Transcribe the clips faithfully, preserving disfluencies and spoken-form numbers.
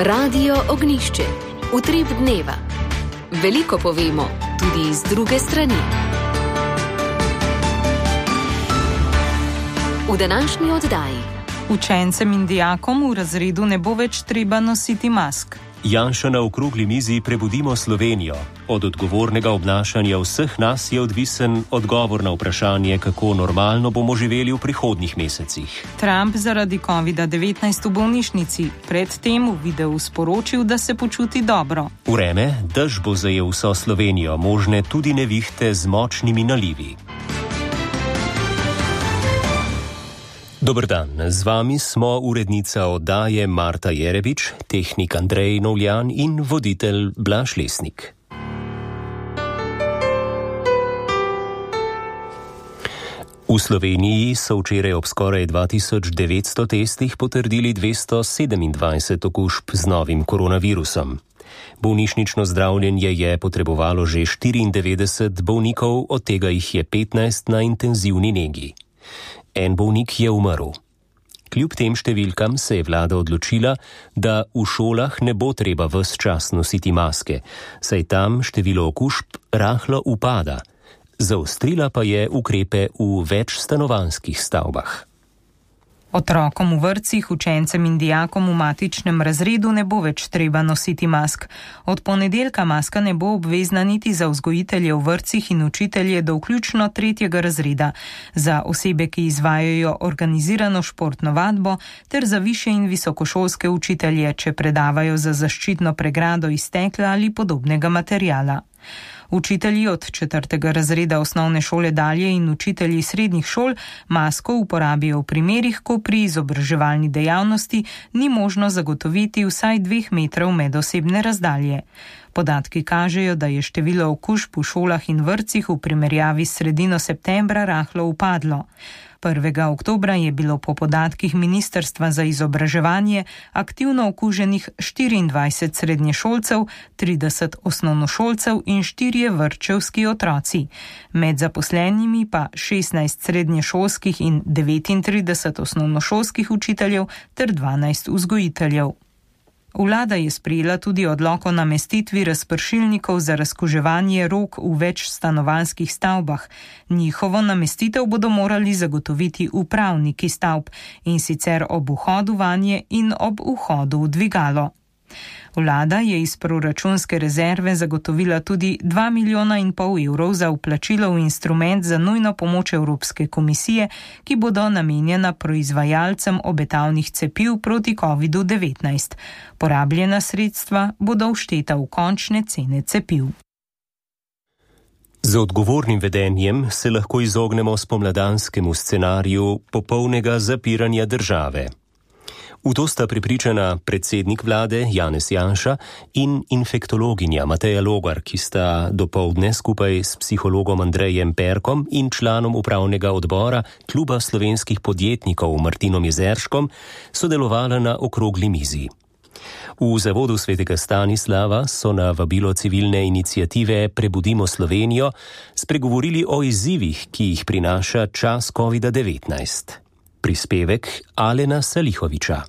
Radio Ognjišče. Utrip dneva. Veliko povemo, tudi iz druge strani. V današnji oddaji. Učencem in dijakom v razredu ne bo več treba nositi mask. Janša na okrogli mizi Prebudimo Slovenijo. Od odgovornega obnašanja vseh nas je odvisen odgovor na vprašanje, kako normalno bomo živeli v prihodnjih mesecih. Trump zaradi kovida devetnajst v bolnišnici, predtem v videu sporočil, da se počuti dobro. Vreme, dež bo zajel vso Slovenijo, možne tudi nevihte z močnimi nalivi. Dober dan, z vami smo urednica oddaje Marta Jerebič, tehnik Andrej Novljan in voditelj Blaž Lesnik. V Sloveniji so včeraj ob skoraj dva tisoč devetsto testih potrdili dvesto sedemindvajset okužb z novim koronavirusom. Bolnišnično zdravljenje je potrebovalo že štiriindevetdeset bolnikov, od tega jih je petnajst na intenzivni negi. En bolnik je umrl. Kljub tem številkam se je vlada odločila, da v šolah ne bo treba ves čas nositi maske, saj tam število okužb rahlo upada. Zaostrila pa je ukrepe v večstanovanjskih stavbah. Otrokom v vrtcih, učencem in dijakom v matičnem razredu ne bo več treba nositi mask. Od ponedeljka maska ne bo obvezna niti za vzgojitelje v vrtcih in učitelje do vključno tretjega razreda, za osebe, ki izvajajo organizirano športno vadbo, ter za višje in visokošolske učitelje, če predavajo za zaščitno pregrado iz stekla ali podobnega materiala. Učitelji od četrtega razreda osnovne šole dalje in učitelji srednjih šol masko uporabijo v primerih, ko pri izobraževalni dejavnosti ni možno zagotoviti vsaj dveh metrov medosebne razdalje. Podatki kažejo, da je število okužb v šolah in vrtcih v primerjavi s sredino septembra rahlo upadlo. prvega oktobra je bilo po podatkih Ministrstva za izobraževanje aktivno okuženih štiriindvajset srednješolcev, trideset osnovnošolcev in štirje vrtčevski otroci. Med zaposlenimi pa šestnajst srednješolskih in devetintrideset osnovnošolskih učiteljev ter dvanajst vzgojiteljev. Vlada je sprejela tudi odlok o namestitvi razpršilnikov za razkuževanje rok v več stanovanjskih stavbah. Njihovo namestitev bodo morali zagotoviti upravniki stavb, in sicer ob vhodu vanje in ob vhodu v dvigalo. Vlada je iz proračunske rezerve zagotovila tudi dva milijona in pol evrov za vplačilo v instrument za nujno pomoč Evropske komisije, ki bodo namenjena proizvajalcem obetavnih cepiv proti kovidu devetnajst. Porabljena sredstva bodo všteta v končne cene cepiv. Z odgovornim vedenjem se lahko izognemo spomladanskemu scenariju popolnega zapiranja države. V to sta prepričana predsednik vlade Janez Janša in infektologinja Mateja Logar, ki sta dopoldne skupaj s psihologom Andrejem Perkom in članom upravnega odbora Kluba slovenskih podjetnikov Martinom Jezerškom sodelovala na okrogli mizi. V zavodu svetega Stanislava so na vabilo civilne iniciative Prebudimo Slovenijo spregovorili o izzivih, ki jih prinaša čas kovida devetnajst. Prispevek Alena Salihoviča.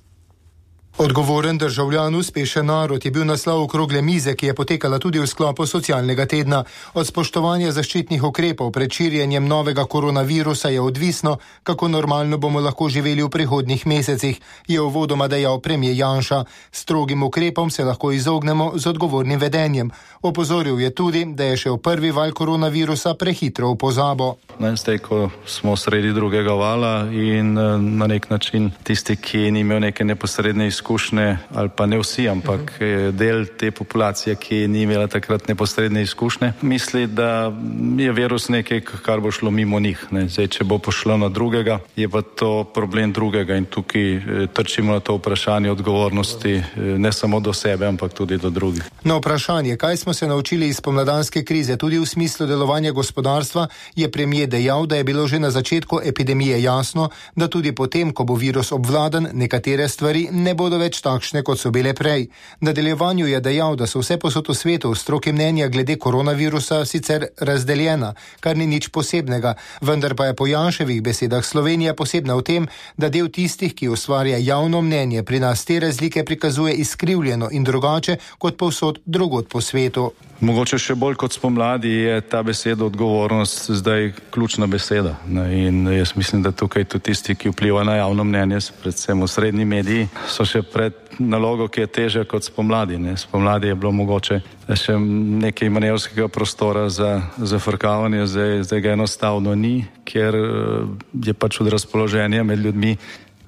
Odgovoren državljan, uspešen narod je bil naslov okrogle mize, ki je potekala tudi v sklopu socialnega tedna. Od spoštovanja zaščitnih ukrepov pred širjenjem novega koronavirusa je odvisno, kako normalno bomo lahko živeli v prihodnjih mesecih, je uvodoma dejal premier Janša. Strogim ukrepom se lahko izognemo z odgovornim vedenjem. Opozoril je tudi, da je šel prvi val koronavirusa prehitro v pozabo. Zdaj, ko smo sredi drugega vala in na nek način tisti, ki ni imel neke neposredne izkušnje, izkušnje, ali pa ne vsi, ampak del te populacije, ki ni imela takrat neposredne izkušnje, misli, da je virus nekaj, kar bo šlo mimo njih. Ne. Zdaj, če bo pošlo na drugega, je pa to problem drugega in tukaj trčimo na to vprašanje odgovornosti ne samo do sebe, ampak tudi do drugih. Na vprašanje, kaj smo se naučili iz pomladanske krize, tudi v smislu delovanja gospodarstva, je premier dejal, da je bilo že na začetku epidemije jasno, da tudi potem, ko bo virus obvladan, nekatere stvari ne bodo bodo več takšne, kot so bile prej. V nadaljevanju je dejal, da so vse posod v svetu v stroki mnenja glede koronavirusa sicer razdeljena, kar ni nič posebnega, vendar pa je po Janševih besedah Slovenija posebna v tem, da del tistih, ki ustvarja javno mnenje, pri nas te razlike prikazuje izkrivljeno in drugače kot povsod drugod po svetu. Mogoče še bolj kot spomladi je ta beseda odgovornost zdaj ključna beseda. In jaz mislim, da tukaj tudi tisti, ki vplivajo na javno mnenje, predvsem v srednji mediji, so še pred nalogo, ki je težja kot spomladi. Ne. Spomladi je bilo mogoče še nekaj manevrskega prostora za zafrkavanje, zdaj, zdaj ga enostavno ni, ker je pač od razpoloženja med ljudmi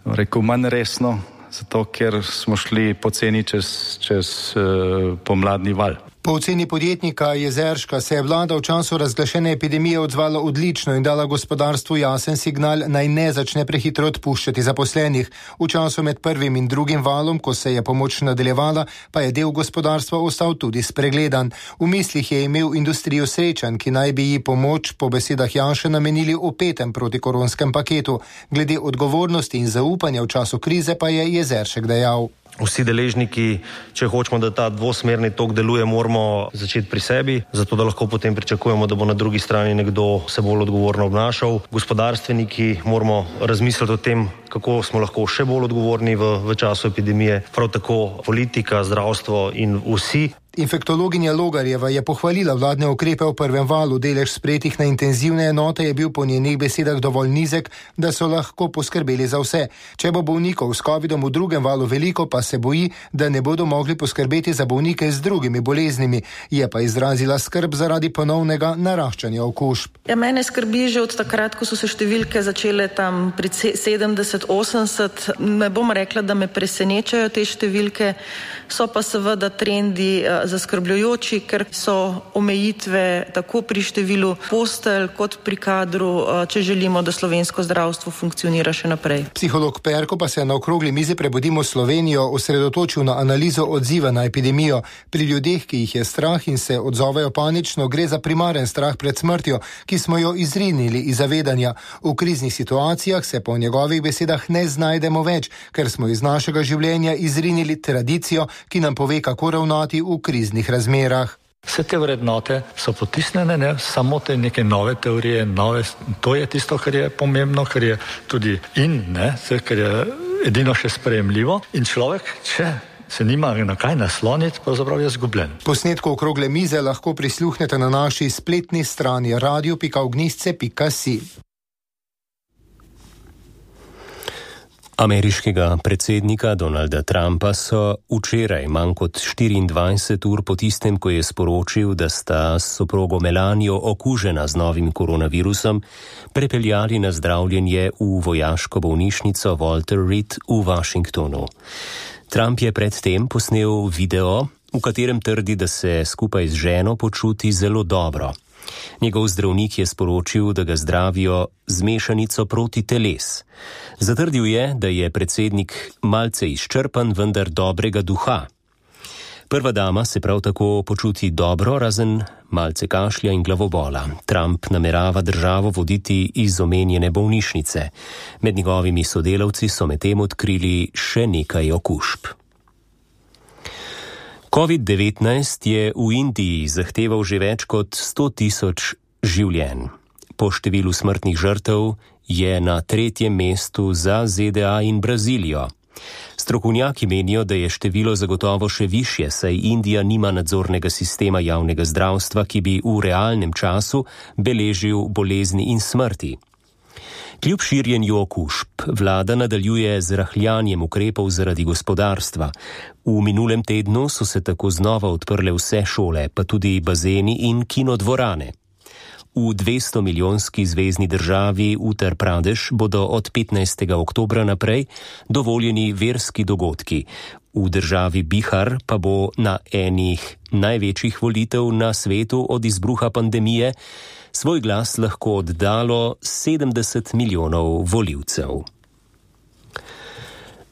rekel manj resno, zato ker smo šli poceni čez, čez uh, pomladni val. Po oceni podjetnika Jezerška se je vlada v času razglašene epidemije odzvala odlično in dala gospodarstvu jasen signal, naj ne začne prehitro odpuščati zaposlenih. V času med prvim in drugim valom, ko se je pomoč nadaljevala, pa je del gospodarstva ostal tudi spregledan. V mislih je imel industrijo Srečanj, ki naj bi ji pomoč po besedah Janše namenili v petem protikoronskem paketu. Glede odgovornosti in zaupanja v času krize pa je Jezeršek dejal. Vsi deležniki, če hočemo, da ta dvosmerni tok deluje, moramo začeti pri sebi, zato da lahko potem pričakujemo, da bo na drugi strani nekdo se bolj odgovorno obnašal. Gospodarstveniki moramo razmisliti o tem, kako smo lahko še bolj odgovorni v, v času epidemije, prav tako politika, zdravstvo in vsi. Infektologinja Logarjeva je pohvalila vladne ukrepe v prvem valu. Delež sprejetih na intenzivne enote je bil po njenih besedah dovolj nizek, da so lahko poskrbeli za vse. Če bo bolnikov s covidom v drugem valu veliko, pa se boji, da ne bodo mogli poskrbeti za bolnike z drugimi boleznimi. Je pa izrazila skrb zaradi ponovnega naraščanja okužb. Ja, mene skrbi že od takrat, ko so se številke začele tam pri sedemdeset osemdeset. Ne bom rekla, da me presenečajo te številke, so pa seveda trendi zaskrbljujoči, ker so omejitve tako pri številu postelj kot pri kadru, če želimo, da slovensko zdravstvo funkcionira še naprej. Psiholog Perko pa se je na okrogli mizi Prebudimo Slovenijo osredotočil na analizo odziva na epidemijo. Pri ljudeh, ki jih je strah in se odzovejo panično, gre za primaren strah pred smrtjo, ki smo jo izrinili iz zavedanja. V kriznih situacijah se po njegovih besedah ne znajdemo več, ker smo iz našega življenja izrinili tradicijo, ki nam pove, kako ravnati v kriznih razmerah. Vse te vrednote so potisnjene, ne, samo te neke nove teorije, nove, to je tisto, kar je pomembno, kar je tudi in, ne, kar je edino še sprejemljivo. In človek, če se nima na kaj nasloniti, pravzaprav je zgubljen. Posnetko okrogle mize lahko prisluhnete na naši spletni strani radio pika ognjišče pika si. Ameriškega predsednika Donalda Trumpa so včeraj, manj kot štiriindvajset ur po tistem, ko je sporočil, da sta s soprogo Melanijo okužena z novim koronavirusom, prepeljali na zdravljenje v vojaško bolnišnico Walter Reed v Washingtonu. Trump je predtem posnel video, v katerem trdi, da se skupaj z ženo počuti zelo dobro. Njegov zdravnik je sporočil, da ga zdravijo z mešanico proti teles. Zatrdil je, da je predsednik malce izčrpan, vendar dobrega duha. Prva dama se prav tako počuti dobro, razen malce kašlja in glavobola. Trump namerava državo voditi iz omenjene bolnišnice. Med njegovimi sodelavci so medtem odkrili še nekaj okužb. covid devetnajst je v Indiji zahteval že več kot sto tisoč življenj. Po številu smrtnih žrtev je na tretjem mestu za Z D A in Brazilijo. Strokovnjaki menijo, da je število zagotovo še višje, saj Indija nima nadzornega sistema javnega zdravstva, ki bi v realnem času beležil bolezni in smrti. Kljub širjenju okužb, vlada nadaljuje z rahljanjem ukrepov zaradi gospodarstva. V minulem tednu so se tako znova odprle vse šole, pa tudi bazeni in kinodvorane. V dvesto milijonski zvezni državi Uttar Pradesh bodo od petnajstega oktobra naprej dovoljeni verski dogodki. V državi Bihar pa bo na enih največjih volitev na svetu od izbruha pandemije svoj glas lahko oddalo sedemdeset milijonov volivcev.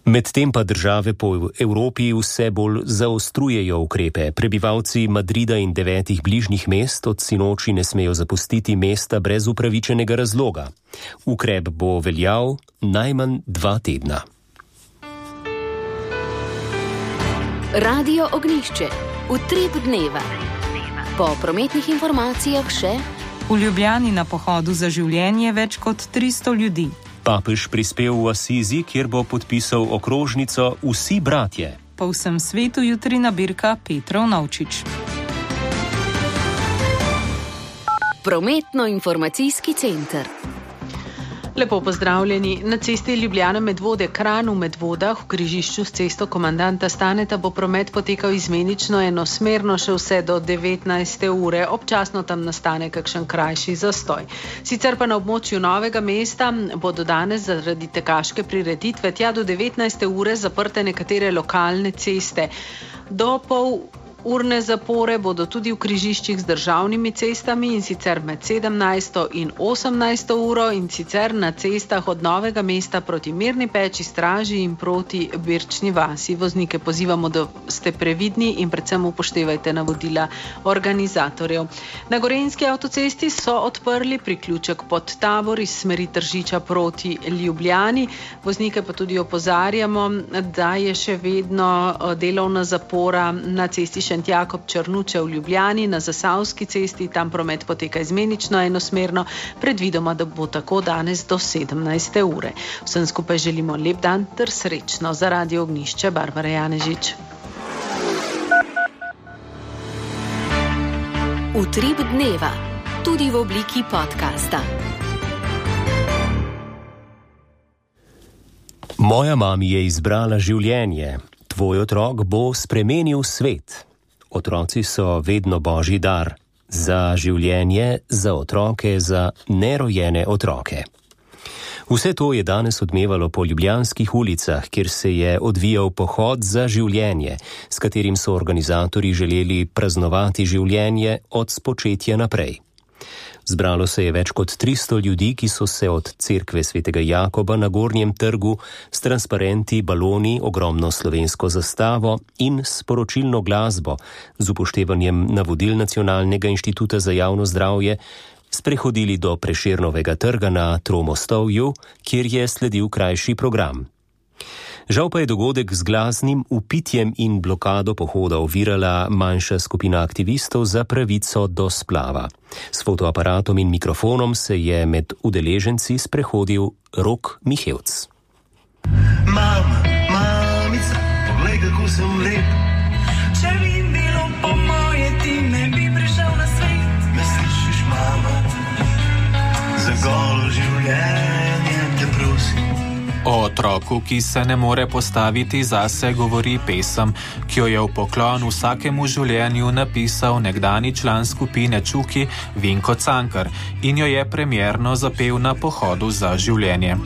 Medtem pa države po Evropi vse bolj zaostrujejo ukrepe. Prebivalci Madrida in devetih bližnjih mest od sinoči ne smejo zapustiti mesta brez upravičenega razloga. Ukrep bo veljal najmanj dva tedna. Radio Ognjišče, utrip dneva. Po prometnih informacijah še: v Ljubljani na pohodu za življenje več kot tristo ljudi. Papež prispel v Asizi, kjer bo podpisal okrožnico Vsi bratje. Po vsem svetu jutri nabirka Petrov Navčič. Prometno-informacijski center. Lepo pozdravljeni. Na cesti Ljubljana Medvode Kranj v Medvodah v križišču s cesto komandanta Staneta bo promet potekal izmenično enosmerno še vse do devetnajste ure. Občasno tam nastane kakšen krajši zastoj. Sicer pa na območju Novega mesta bodo danes zaradi tekaške prireditve tja do devetnajste ure zaprte nekatere lokalne ceste. Do pol urne zapore bodo tudi v križiščih z državnimi cestami, in sicer med sedemnajsto in osemnajsto uro, in sicer na cestah od Novega mesta proti Mirni Peči, Straži in proti Birčni vasi. Voznike pozivamo, da ste previdni in predvsem upoštevajte navodila organizatorjev. Na Gorenjski avtocesti so odprli priključek pod Tabor iz smeri Tržiča proti Ljubljani. Voznike pa tudi opozarjamo, da je še vedno delovna zapora na cesti Šentjakob Črnuče v Ljubljani, na Zasavski cesti, tam promet poteka izmenično enosmerno, predvidoma, da bo tako danes do sedemnajste ure. Vsem skupaj želimo lep dan ter srečno. Za Radio Ognjišče, Barbara Janežič. Utrip dneva, tudi v obliki podcasta. Moja mami je izbrala življenje. Tvoj otrok bo spremenil svet. Otroci so vedno božji dar. Za življenje, za otroke, za nerojene otroke. Vse to je danes odmevalo po ljubljanskih ulicah, kjer se je odvijal pohod za življenje, s katerim so organizatorji želeli praznovati življenje od spočetja naprej. Zbralo se je več kot tristo ljudi, ki so se od cerkve svetega Jakoba na Gornjem trgu s transparenti, baloni, ogromno slovensko zastavo in sporočilno glasbo z upoštevanjem navodil Nacionalnega inštituta za javno zdravje sprehodili do Prešernovega trga na Tromostovju, kjer je sledil krajši program. Žal pa je dogodek z glasnim vpitjem in blokado pohoda ovirala manjša skupina aktivistov za pravico do splava. S fotoaparatom in mikrofonom se je med udeleženci sprehodil Rok Mihevc. Mama, mamica, poglej, kako sem lep. Če bi bilo po moje, ti ne bi prišel na svet. Me slišiš, mama, za golo življenje te prosim. O otroku, ki se ne more postaviti zase, govori pesem, ki jo je v poklon vsakemu življenju napisal nekdani član skupine Čuki Vinko Cankar in jo je premierno zapel na pohodu za življenje.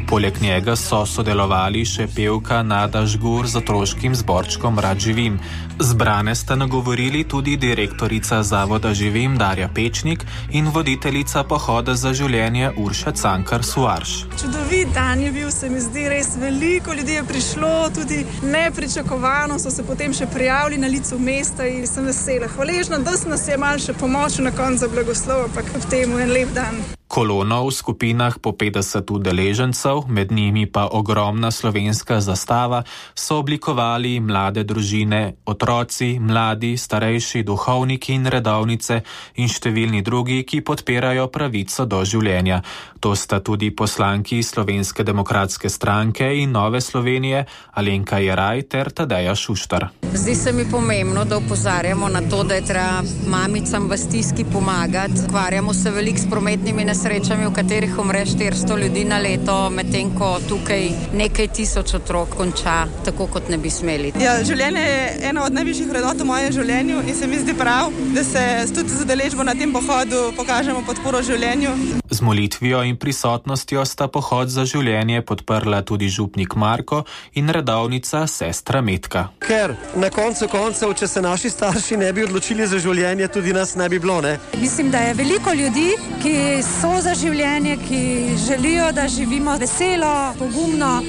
Poleg njega so sodelovali še pevka Nada Žgur z otroškim zborčkom Rad živim. Zbrane sta nagovorili tudi direktorica Zavoda Živim Darja Pečnik in voditeljica pohoda za življenje Urša Cankar Suarš. Čudovit dan je bil, se mi zdi, res veliko ljudi je prišlo, tudi nepričakovano so se potem še prijavili na licu mesta in sem vesela. Hvaležna, da sem nas je malo še pomočil na koncu za blagoslov, ampak v temu en lep dan. Kolono v skupinah po petdeset udeležencev, med njimi pa ogromna slovenska zastava, so oblikovali mlade družine, otroci, mladi, starejši, duhovniki in redovnice in številni drugi, ki podpirajo pravico do življenja. To sta tudi poslanki Slovenske demokratske stranke in Nove Slovenije Alenka Jeraj ter Tadeja Šuštar. Zdi se mi pomembno, da opozarjamo na to, da je treba mamicam v stiski pomagati. Ukvarjamo se veliko s prometnimi nesrečami, v katerih umre štiristo ljudi na leto, medtem ko tukaj nekaj tisoč otrok konča tako, kot ne bi smeli. Ja, življenje je ena od najvišjih vrednot v mojem življenju in se mi zdi prav, da se tudi z udeležbo na tem pohodu pokažemo podporo življenju. Z molitvijo in prisotnostjo sta pohod za življenje podprla tudi župnik Marko in redovnica sestra Metka. Ker na koncu koncev, če se naši starši ne bi odločili za življenje, tudi nas ne bi bilo, ne? Mislim, da je veliko ljudi, ki so za življenje, ki želijo, da živimo veselo, pogumno.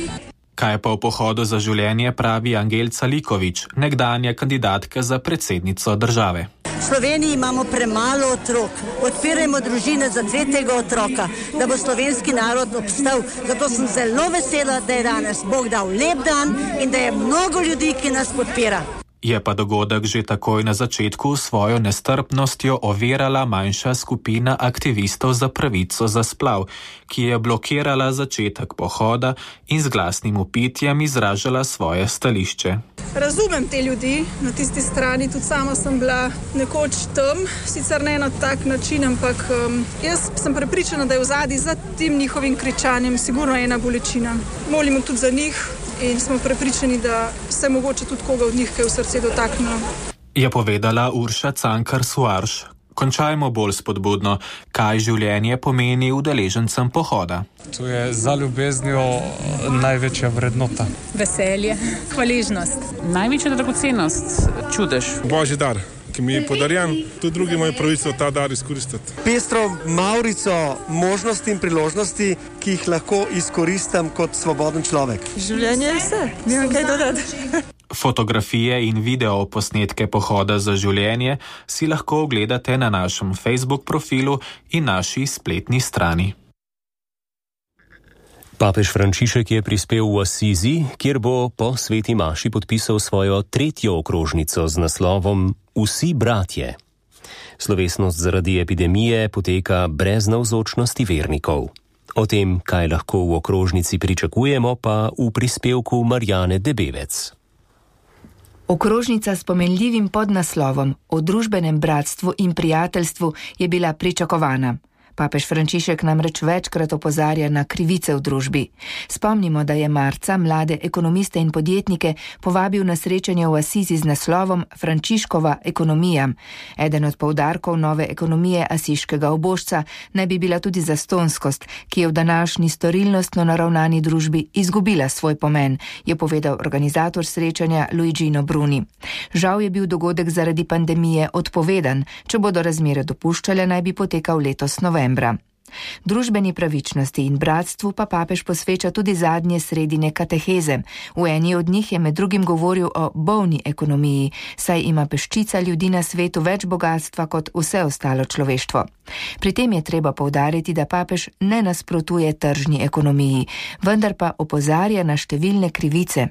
Kaj pa v pohodu za življenje pravi Angelca Likovič, nekdanja kandidatka za predsednico države. V Sloveniji imamo premalo otrok. Odpirajmo družine za tretjega otroka, da bo slovenski narod obstal. Zato sem zelo vesela, da je danes Bog dal lep dan in da je mnogo ljudi, ki nas podpira. Je pa dogodek že takoj na začetku svojo nestrpnostjo ovirala manjša skupina aktivistov za pravico za splav, ki je blokirala začetek pohoda in z glasnim vpitjem izražala svoje stališče. Razumem te ljudi na tisti strani, tudi sama sem bila nekoč tam, sicer ne na tak način, ampak um, jaz sem prepričana, da je v zadnji za tem njihovim kričanjem sigurno ena bolečina. Molimo tudi za njih in smo prepričani, da se mogoče tudi koga od njih kaj v srce dotaknilo. Je povedala Urša Cankar-Suarš. Končajmo bolj spodbudno, kaj življenje pomeni udeležencem pohoda. To je za ljubeznijo največja vrednota. Veselje, hvaležnost. Največja dragocenost, čudež. Božji dar, ki mi je podarjen, tudi drugi imajo pravico ta dar izkoristiti. Pestro maurico možnosti in priložnosti, ki jih lahko izkoristim kot svoboden človek. Življenje je vse, nimam kaj dodati. Fotografije in video posnetke pohoda za življenje si lahko ogledate na našem Facebook profilu in naši spletni strani. Papež Frančišek je prispel v Asizi, kjer bo po sveti maši podpisal svojo tretjo okrožnico z naslovom Vsi bratje. Slovesnost zaradi epidemije poteka brez navzočnosti vernikov. O tem, kaj lahko v okrožnici pričakujemo, pa v prispevku Marjane Debevec. Okrožnica s pomenljivim podnaslovom o družbenem bratstvu in prijateljstvu je bila pričakovana. Papež Frančišek namreč večkrat opozarja na krivice v družbi. Spomnimo, da je marca mlade ekonomiste in podjetnike povabil na srečanje v Asizi z naslovom Frančiškova ekonomija. Eden od poudarkov nove ekonomije asiškega obožca naj bi bila tudi zastonskost, ki je v današnji storilnostno naravnani družbi izgubila svoj pomen, je povedal organizator srečanja Luigino Bruni. Žal je bil dogodek zaradi pandemije odpovedan, če bodo razmere dopuščale, naj bi potekal letos novembra. Družbeni pravičnosti in bratstvu pa papež posveča tudi zadnje sredine kateheze. V eni od njih je med drugim govoril o bolni ekonomiji, saj ima peščica ljudi na svetu več bogatstva kot vse ostalo človeštvo. Pri tem je treba poudariti, da papež ne nasprotuje tržni ekonomiji, vendar pa opozarja na številne krivice.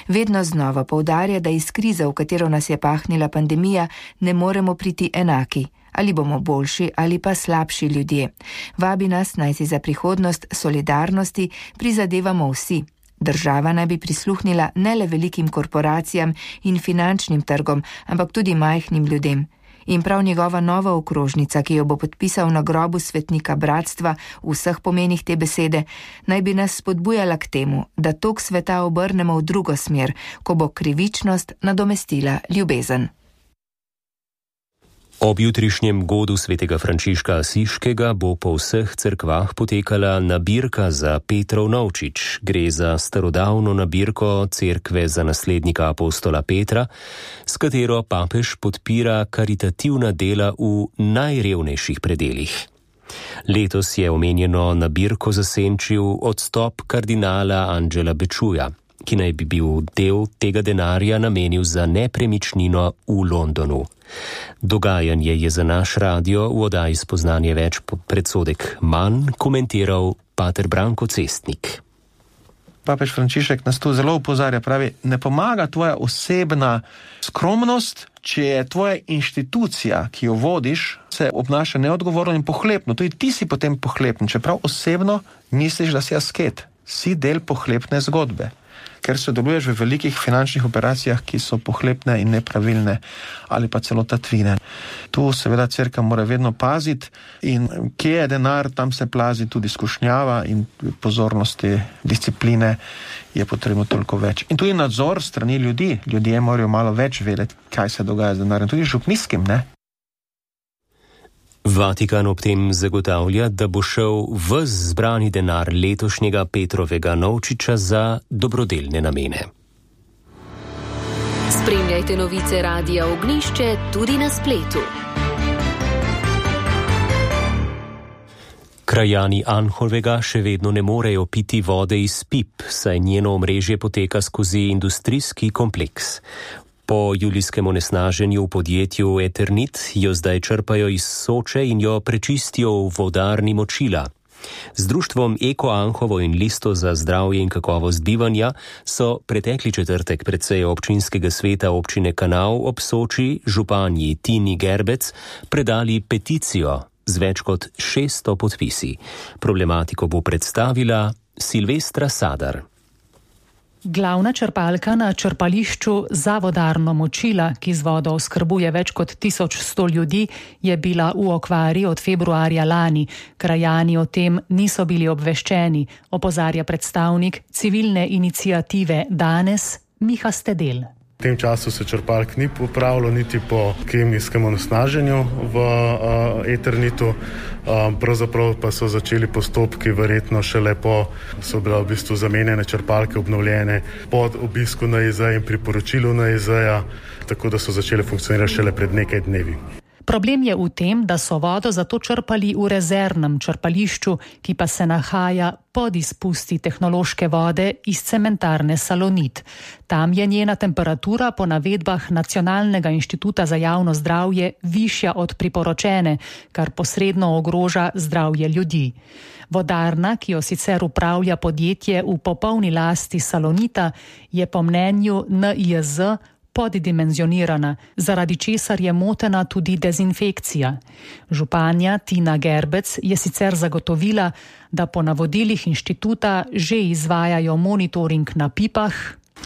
Vedno znova poudarja, da iz krize, v katero nas je pahnila pandemija, ne moremo priti enaki. Ali bomo boljši ali pa slabši ljudje. Vabi nas, naj si za prihodnost solidarnosti prizadevamo vsi. Država naj bi prisluhnila ne le velikim korporacijam in finančnim trgom, ampak tudi majhnim ljudem. In prav njegova nova okrožnica, ki jo bo podpisal na grobu svetnika bratstva v vseh pomenih te besede, naj bi nas spodbujala k temu, da tok sveta obrnemo v drugo smer, ko bo krivičnost nadomestila ljubezen. Ob jutrišnjem godu svetega Frančiška Asiškega bo po vseh cerkvah potekala nabirka za Petrov novčič. Gre za starodavno nabirko cerkve za naslednika apostola Petra, s katero papež podpira karitativna dela v najrevnejših predelih. Letos je omenjeno nabirko zasenčil odstop kardinala Angela Bečuja, ki naj bi bil del tega denarja namenil za nepremičnino v Londonu. Dogajanje je za naš radio v oddaji Spoznanje več predsodek manj komentiral pater Branko Cestnik. Papež Frančišek nas tu zelo opozarja, pravi, ne pomaga tvoja osebna skromnost, če je tvoja inštitucija, ki jo vodiš, se obnaša neodgovorno in pohlepno. Tudi ti si potem pohlepen, čeprav osebno misliš, da si asket. Si del pohlepne zgodbe, ker sodeluješ v velikih finančnih operacijah, ki so pohlepne in nepravilne ali pa celo tatvine. Tu seveda cerkev mora vedno paziti in kje je denar, tam se plazi tudi skušnjava in pozornosti, discipline je potrebno toliko več. In tudi nadzor strani ljudi. Ljudje morajo malo več vedeti, kaj se dogaja z denarjem. Tudi župniskim, ne? Vatikan ob tem zagotavlja, da bo šel ves zbrani denar letošnjega Petrovega novčiča za dobrodelne namene. Spremljajte novice Radia Ognjišče tudi na spletu. Krajani Anhovega še vedno ne morejo piti vode iz pip, saj njeno omrežje poteka skozi industrijski kompleks. Po julijskem onesnaženju v podjetju Eternit jo zdaj črpajo iz Soče in jo prečistijo v vodarni Močila. Z društvom Eko Anhovo in Listo za zdravje in kakovost bivanja so pretekli četrtek pred sejo občinskega sveta občine Kanal ob Soči županji Tini Gerbec predali peticijo z več kot šeststo podpisi. Problematiko bo predstavila Silvestra Sadar. Glavna črpalka na črpališču Zavodarno Močila, ki z vodo oskrbuje več kot tisoč sto ljudi, je bila v okvari od februarja lani. Krajani o tem niso bili obveščeni, opozarja predstavnik civilne iniciative Danes Miha Stedel. V tem času se črpalk ni popravilo niti po kemijskem onesnaženju v uh, Eternitu, uh, pravzaprav pa so začeli postopki verjetno šele po, so bile v bistvu zamenjene črpalke, obnovljene pod obisku N I Z in priporočilu N I Z-ja, tako da so začele funkcionirati šele pred nekaj dnevi. Problem je v tem, da so vodo zato črpali v rezervnem črpališču, ki pa se nahaja pod izpusti tehnološke vode iz cementarne Salonit. Tam je njena temperatura po navedbah Nacionalnega inštituta za javno zdravje višja od priporočene, kar posredno ogroža zdravje ljudi. Vodarna, ki jo sicer upravlja podjetje v popolni lasti Salonita, je po mnenju N I Z poddimenzionirana, zaradi česar je motena tudi dezinfekcija. Županja Tina Gerbec je sicer zagotovila, da po navodilih inštituta že izvajajo monitoring na pipah.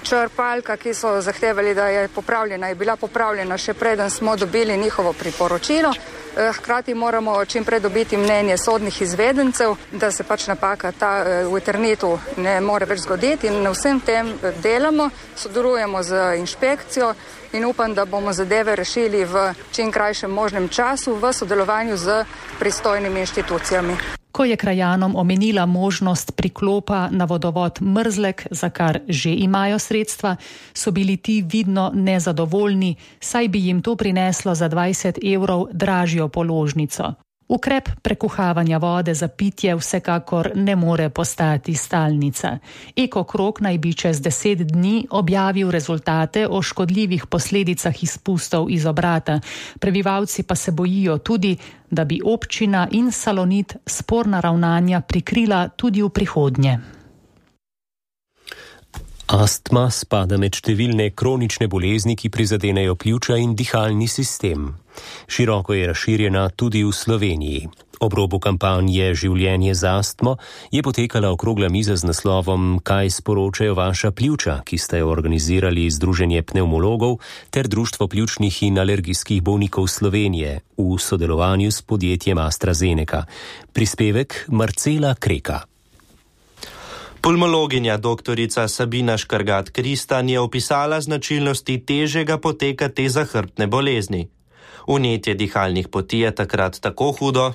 Črpalka, ki so zahtevali, da je popravljena, je bila popravljena še preden smo dobili njihovo priporočilo. Hkrati moramo čim prej dobiti mnenje sodnih izvedencev, da se pač napaka ta v internetu ne more več zgoditi in na vsem tem delamo, sodelujemo z inšpekcijo in upam, da bomo zadeve rešili v čim krajšem možnem času v sodelovanju z pristojnimi inštitucijami. Ko je krajanom omenila možnost priklopa na vodovod Mrzlek, za kar že imajo sredstva, so bili ti vidno nezadovoljni, saj bi jim to prineslo za dvajset evrov dražjo položnico. Ukrep prekuhavanja vode za pitje vsekakor ne more postati stalnica. Eko Krog naj bi čez deset dni objavil rezultate o škodljivih posledicah izpustov iz obrata. Prebivalci pa se bojijo tudi, da bi občina in Salonit sporna ravnanja prikrila tudi v prihodnje. Astma spada med številne kronične bolezni, ki prizadenejo pljuča in dihalni sistem. Široko je razširjena tudi v Sloveniji. Ob robu kampanje Življenje z astmo je potekala okrogla miza z naslovom Kaj sporočajo vaša pljuča, ki sta jo organizirali Združenje pnevmologov ter Društvo pljučnih in alergijskih bolnikov Slovenije v sodelovanju s podjetjem AstraZeneca. Prispevek Marcela Kreka. Pulmologinja doktorica Sabina Škrgat-Kristan je opisala značilnosti težjega poteka te zahrbtne bolezni. Vnetje dihalnih poti je takrat tako hudo,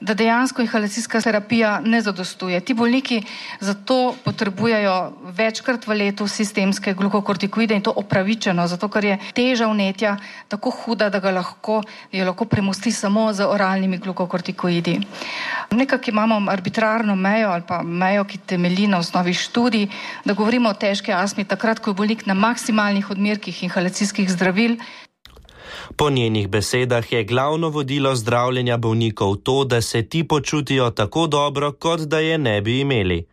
da dejansko inhalacijska terapija ne zadostuje. Ti bolniki zato potrebujejo večkrat v letu sistemske glukokortikoide in to opravičeno, zato ker je teža vnetja tako huda, da ga lahko, jo lahko premosti samo z oralnimi glukokortikoidi. Nekako imamo arbitrarno mejo ali pa mejo, ki temelji na osnovi študij, da govorimo o težki astmi takrat, ko je bolnik na maksimalnih odmerkih inhalacijskih zdravil. Po njenih besedah je glavno vodilo zdravljenja bolnikov to, da se ti počutijo tako dobro, kot da je ne bi imeli.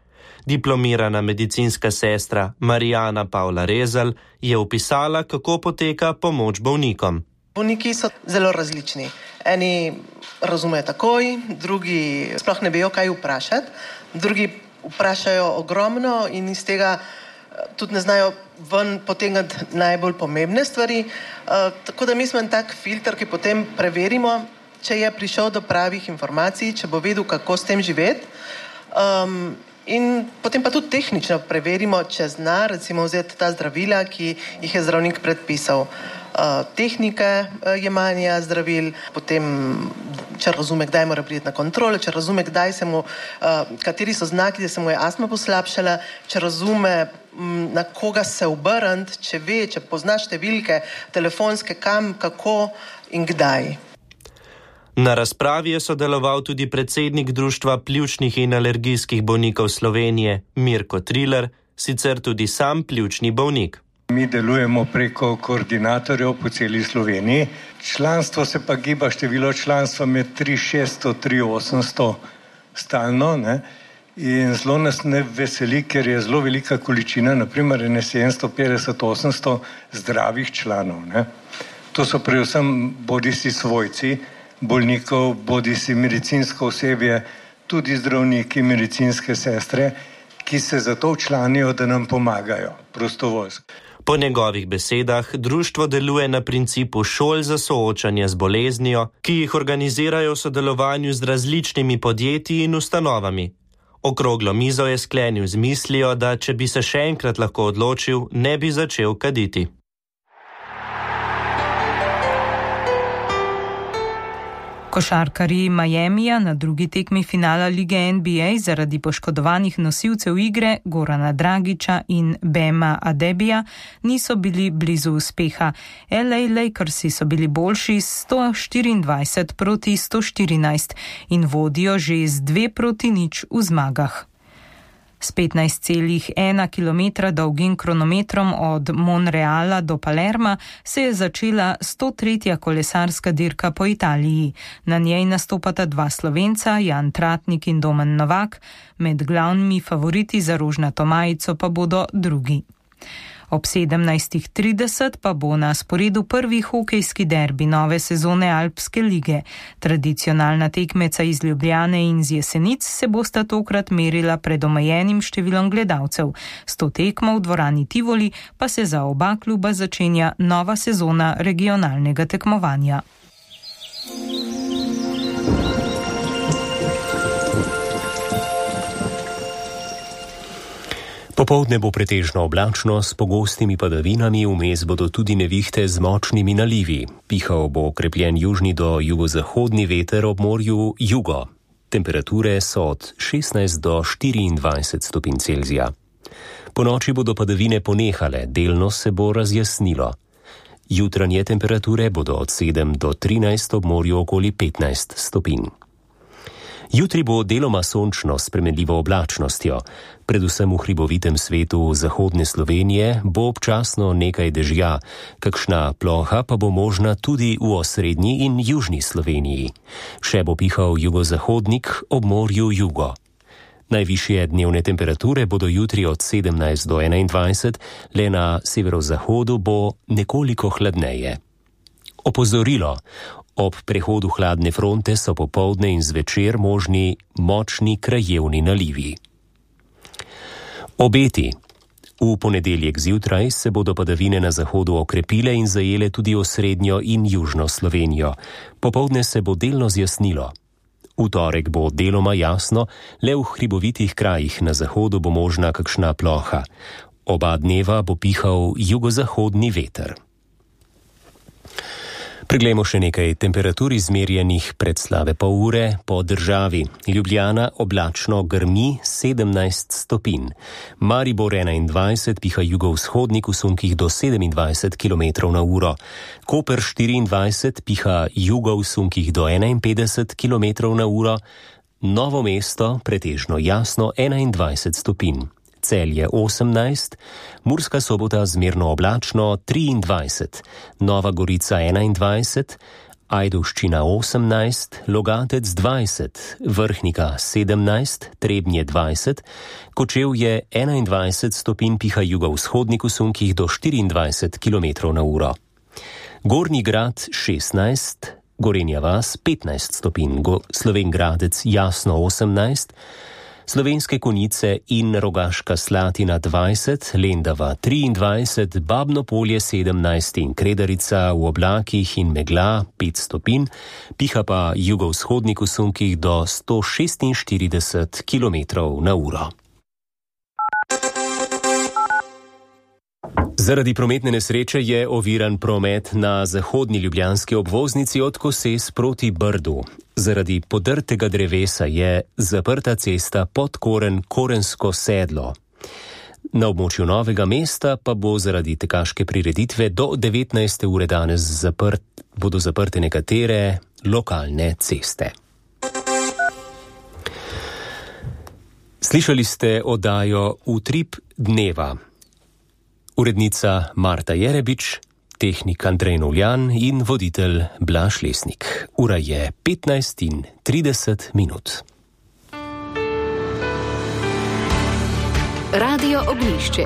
Diplomirana medicinska sestra Marijana Pavla Rezelj je opisala, kako poteka pomoč bolnikom. Bolniki so zelo različni. Eni razumejo takoj, drugi sploh ne vejo, kaj vprašati, drugi vprašajo ogromno in iz tega tudi ne znajo ven potegnati najbolj pomembne stvari. Uh, tako da mi smo en tak filter, ki potem preverimo, če je prišel do pravih informacij, če bo vedel, kako s tem živeti. Um, in potem pa tudi tehnično preverimo, če zna recimo vzeti ta zdravila, ki jih je zdravnik predpisal. Uh, tehnike uh, jemanja zdravil, potem če razume, kdaj mora priti na kontrolo, če razume, kdaj se mu, uh, kateri so znaki, da se mu je astma poslabšala, če razume, m, na koga se obrniti, če ve, če pozna številke telefonske, kam, kako in kdaj. Na razpravi je sodeloval tudi predsednik Društva pljučnih in alergijskih bolnikov Slovenije Mirko Triler, sicer tudi sam pljučni bolnik. Mi delujemo preko koordinatorjev po celi Sloveniji. Članstvo se pa giba število članstva med tri tisoč šeststo in tri tisoč osemsto stalno, ne? In zelo nas ne veseli, ker je zelo velika količina, naprimer je sedemsto petdeset do osemsto zdravih članov, ne? To so predvsem bodisi svojci bolnikov, bodisi medicinsko osebje, tudi zdravniki, medicinske sestre, ki se zato včlanijo, da nam pomagajo prostovoljsko. Po njegovih besedah društvo deluje na principu šol za soočanje z boleznijo, ki jih organizirajo v sodelovanju z različnimi podjetji in ustanovami. Okroglo mizo je sklenil z mislijo, da če bi se še enkrat lahko odločil, ne bi začel kaditi. Košarkarji Miamija na drugi tekmi finala lige N B A zaradi poškodovanih nosilcev igre Gorana Dragića in Bema Adebija niso bili blizu uspeha. L A Lakersi so bili boljši sto štiriindvajset proti sto štirinajst in vodijo že z dve proti nič v zmagah. S petnajst celih ena kilometra dolgim kronometrom od Monreala do Palerma se je začela sto tretja kolesarska dirka po Italiji. Na njej nastopata dva Slovenca, Jan Tratnik in Domen Novak, med glavnimi favoriti za rožnato majico pa bodo drugi. Ob sedemnajst trideset pa bo na sporedu prvi hokejski derbi nove sezone Alpske lige. Tradicionalna tekmeca iz Ljubljane in z Jesenic se bosta tokrat merila pred omejenim številom gledalcev. S to tekmo v dvorani Tivoli pa se za oba kluba začenja nova sezona regionalnega tekmovanja. Popoldne bo pretežno oblačno s pogostimi padavinami, vmes bodo tudi nevihte z močnimi nalivi. Pihal bo okrepljen južni do jugozahodni veter, ob morju jugo. Temperature so od šestnajst do štiriindvajset stopinj Celzija. Po noči bodo padavine ponehale, delno se bo razjasnilo. Jutranje temperature bodo od sedem do trinajst, ob morju okoli petnajst stopinj. Jutri bo deloma sončno s spremenljivo oblačnostjo. Predvsem v hribovitem svetu zahodne Slovenije bo občasno nekaj dežja, kakšna ploha pa bo možna tudi v osrednji in južni Sloveniji. Še bo pihal jugozahodnik, ob morju jugo. Najvišje dnevne temperature bodo jutri od sedemnajst do enaindvajset, le na severozahodu bo nekoliko hladneje. Opozorilo. Ob prehodu hladne fronte so popoldne in zvečer možni močni krajevni nalivi. Obeti. V ponedeljek zjutraj se bodo padavine na zahodu okrepile in zajele tudi osrednjo in južno Slovenijo. Popoldne se bo delno zjasnilo. V torek bo deloma jasno, le v hribovitih krajih na zahodu bo možna kakšna ploha. Oba dneva bo pihal jugozahodni veter. Preglejmo še nekaj temperatur izmerjenih pred slabe pol ure po državi. Ljubljana oblačno grmi sedemnajst stopinj. Maribor enaindvajset, piha jugovzhodnik v sunkih do sedemindvajset kilometrov na uro. Koper štiriindvajset, piha jugo v sunkih do enainpetdeset kilometrov na uro. Novo mesto pretežno jasno enaindvajset stopinj. Celje osemnajst, Murska Sobota zmerno oblačno triindvajset, Nova Gorica enaindvajset, Ajdovščina osemnajst, Logatec dvajset, Vrhnika sedemnajst, Trebnje dvajset, Kočevje enaindvajset stopinj, piha jugovzhodnik v sunkih do štiriindvajset kilometrov na uro. Gornji Grad šestnajst, Gorenja vas petnajst stopinj, Slovenj Gradec jasno osemnajst, Slovenske Konjice in Rogaška Slatina dvajset, Lendava triindvajset, Babno Polje sedemnajst in Kredarica v oblakih in megla pet stopinj, piha pa jugovzhodnik v sunkih do sto šestinštirideset kilometrov na uro. Zaradi prometne nesreče je oviran promet na zahodni ljubljanski obvoznici od Koses proti Brdu. Zaradi podrtega drevesa je zaprta cesta Podkoren-Korensko sedlo. Na območju Novega mesta pa bo zaradi tekaške prireditve do devetnajste ure danes zaprt, bodo zaprte nekatere lokalne ceste. Slišali ste oddajo Utrip dneva. Urednica Marta Jerebič, tehnik Andrej Novljan in voditelj Blaž Lesnik. Ura je petnajst in trideset minut. Radio Oglišče.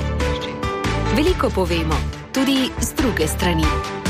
Veliko povemo, tudi z druge strani.